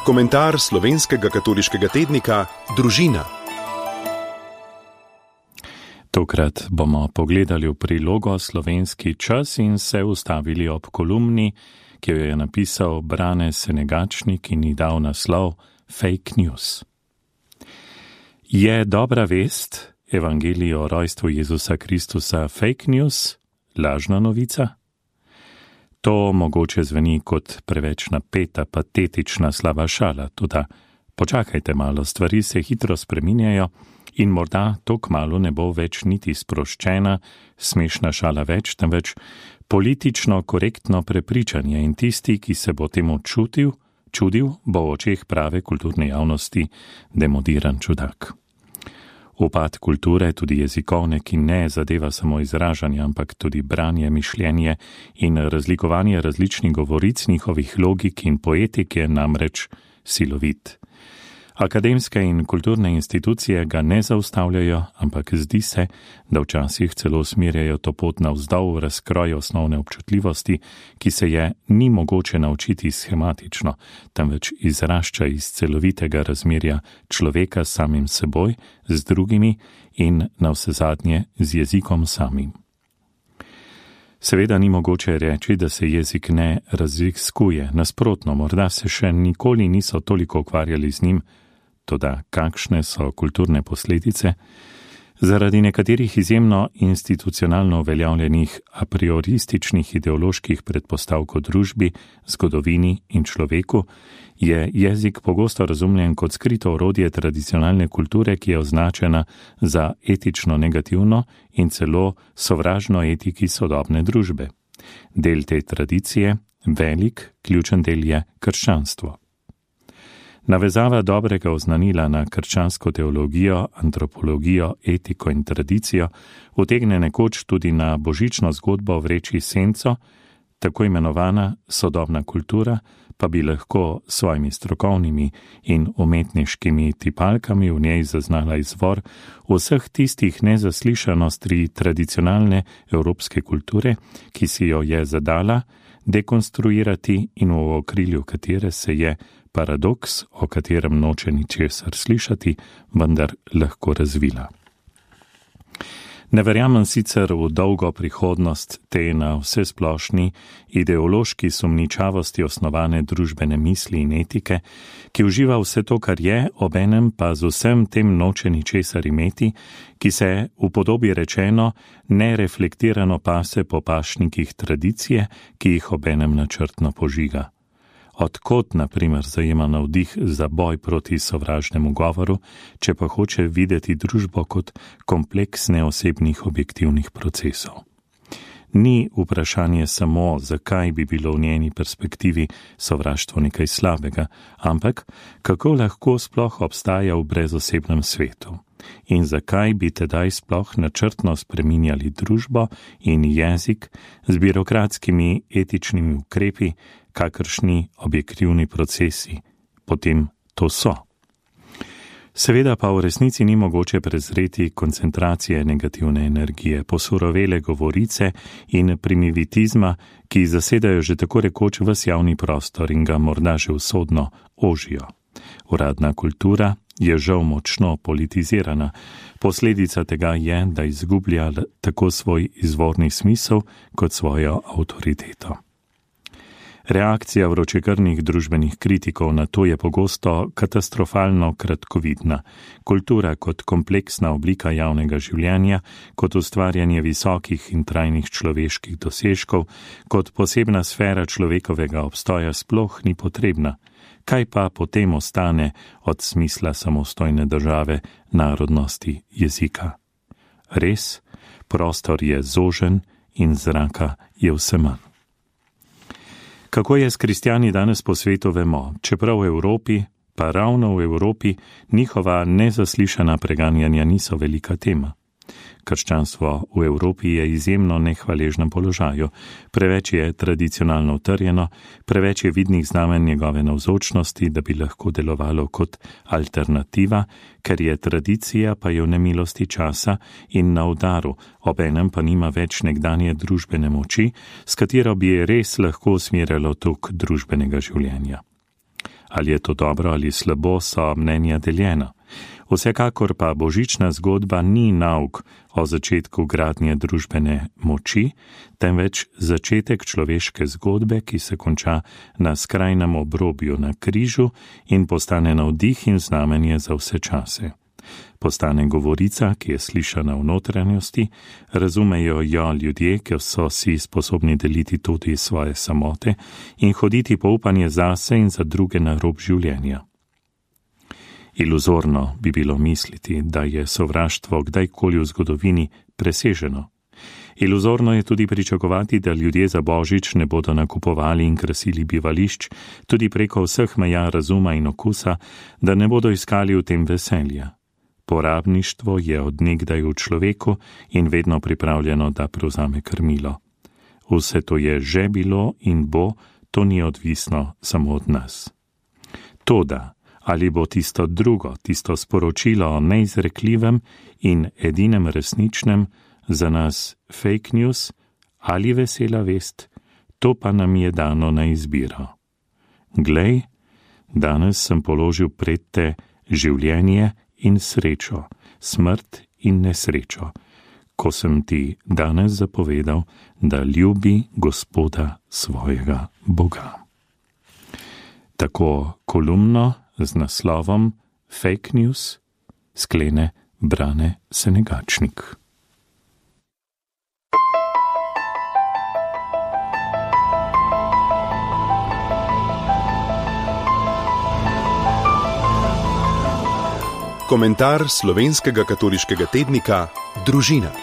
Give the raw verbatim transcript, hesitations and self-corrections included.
Komentar slovenskega katoliškega tednika Družina. Tokrat bomo pogledali v prilogo Slovenski čas in se ustavili ob kolumni, ki jo je napisal Brane Senegačnik in ji dal naslov Fake News. Je dobra vest, evangelij o rojstvu Jezusa Kristusa, fake news, lažna novica? To mogoče zveni kot preveč napeta, patetična slaba šala, toda počakajte malo, stvari se hitro spreminjajo in morda to kmalu ne bo več niti sproščena, smešna šala več, temveč politično korektno prepričanje in tisti, ki se bo temu čutil, čudil, bo v očeh prave kulturne javnosti demodiran čudak. Upad kulture, tudi jezikovne, ki ne zadeva samo izražanje, ampak tudi branje, mišljenje in razlikovanje različnih govoric, njihovih logik in poetik je namreč silovit. Akademske in kulturne institucije ga ne zaustavljajo, ampak zdi se, da včasih celo usmerjajo to pot navzdol v razkroj osnovne občutljivosti, ki se je ni mogoče naučiti schematično, temveč izrašča iz celovitega razmerja človeka s samim seboj, z drugimi in navsezadnje z jezikom samim. Seveda ni mogoče reči, da se jezik ne raziskuje, nasprotno, morda se še nikoli niso toliko ukvarjali z njim, toda kakšne so kulturne posledice? Zaradi nekaterih izjemno institucionalno uveljavljenih a priorističnih ideoloških predpostavk o družbi, zgodovini in človeku je jezik pogosto razumljen kot skrito orodje tradicionalne kulture, ki je označena za etično negativno in celo sovražno etiki sodobne družbe. Del te tradicije, velik, ključen del je krščanstvo. Navezava dobrega oznanila na krščansko teologijo, antropologijo, etiko in tradicijo utegne nekoč tudi na božično zgodbo vreči senco, tako imenovana sodobna kultura pa bi lahko s svojimi strokovnimi in umetniškimi tipalkami v njej zaznala izvor vseh tistih nezaslišanostri tradicionalne evropske kulture, ki si jo je zadala dekonstruirati in v okrilju katere se je paradoks, o katerem noče ničesar slišati, vendar lahko razvila. Ne verjamem sicer v dolgo prihodnost te na vsesplošni ideološki sumničavosti osnovane družbene misli in etike, ki uživa vse to, kar je, obenem pa z vsem tem noče ničesar imeti, ki se v podobi rečeno nereflektirano pase po pašnikih tradicije, ki jih obenem načrtno požiga. Odkot, na primer, zajema navdih za boj proti sovražnemu govoru, če pa hoče videti družbo kot kompleks neosebnih objektivnih procesov. Ni vprašanje samo, zakaj bi bilo v njeni perspektivi sovraštvo nekaj slabega, ampak kako lahko sploh obstaja v brezosebnem svetu in zakaj bi tedaj sploh načrtno spreminjali družbo in jezik z birokratskimi etičnimi ukrepi, kakršni objektivni procesi potem to so. Seveda pa v resnici ni mogoče prezreti koncentracije negativne energije, posurovele govorice in primitivizma, ki zasedajo že tako rekoč ves javni prostor in ga morda že usodno ožijo. Uradna kultura je žal močno politizirana. Posledica tega je, da izgublja tako svoj izvorni smisel kot svojo avtoriteto. Reakcija vročekrvnih družbenih kritikov na to je pogosto katastrofalno kratkovidna. Kultura kot kompleksna oblika javnega življenja, kot ustvarjanje visokih in trajnih človeških dosežkov, kot posebna sfera človekovega obstoja sploh ni potrebna. Kaj pa potem ostane od smisla samostojne države, narodnosti, jezika? Res, prostor je zožen in zraka je vse manj. Kako je s kristjani danes po svetu, vemo, čeprav v Evropi, pa ravno v Evropi, njihova nezaslišana preganjanja niso velika tema. Krščanstvo v Evropi je izjemno nehvaležnem položaju, preveč je tradicionalno utrjeno, preveč je vidnih znamen njegove navzočnosti, da bi lahko delovalo kot alternativa, ker je tradicija pa je v nemilosti časa in na udaru, obenem pa nima več nekdanje družbene moči, s katero bi je res lahko usmerjalo tok družbenega življenja. Ali je to dobro ali slabo, so mnenja deljena. Vsekakor pa božična zgodba ni nauk o začetku gradnje družbene moči, temveč začetek človeške zgodbe, ki se konča na skrajnem obrobju na križu in postane navdih in znamenje za vse čase. Postane govorica, ki je slišana v notranjosti, razumejo jo ljudje, ki so si sposobni deliti tudi svoje samote in hoditi po upanje zase in za druge na rob življenja. Iluzorno bi bilo misliti, da je sovraštvo kdajkoli v zgodovini preseženo. Iluzorno je tudi pričakovati, da ljudje za božič ne bodo nakupovali in krasili bivališč, tudi preko vseh meja razuma in okusa, da ne bodo iskali v tem veselja. Porabništvo je od nekdaj v človeku in vedno pripravljeno, da prevzame krmilo. Vse to je že bilo in bo, to ni odvisno samo od nas. Toda, ali bo tisto drugo, tisto sporočilo o neizrekljivem in edinem resničnem za nas fake news ali vesela vest, to pa nam je dano na izbiro. Glej, danes sem položil pred te življenje in srečo, smrt in nesrečo, ko sem ti danes zapovedal, da ljubi Gospoda svojega Boga. Tako kolumno z naslovom Fake News sklene Brane Senegačnik. Komentar slovenskega katoliškega tednika Družina.